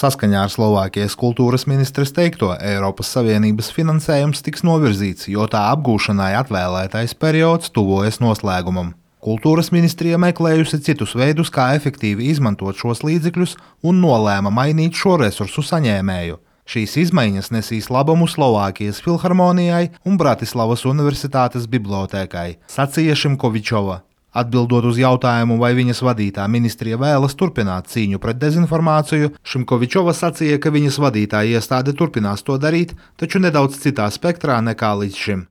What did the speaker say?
Saskaņā ar Slovākijas kultūras ministres teikto, Eiropas Savienības finansējums tiks novirzīts, jo tā apgūšanai atvēlētais periods tuvojas noslēgumam. Kultūras ministrija meklējusi citus veidus, kā efektīvi izmantot šos līdzekļus, un nolēma mainīt šo resursu saņēmēju. Šīs izmaiņas nesīs labumu Slovākijas filharmonijai un Bratislavas universitātes bibliotēkai, sacīja Šimkovičova. Atbildot uz jautājumu, vai viņas vadītā ministrija vēlas turpināt cīņu pret dezinformāciju, Šimkovičova sacīja, ka viņas vadītā iestāde turpinās to darīt, taču nedaudz citā spektrā nekā līdz šim.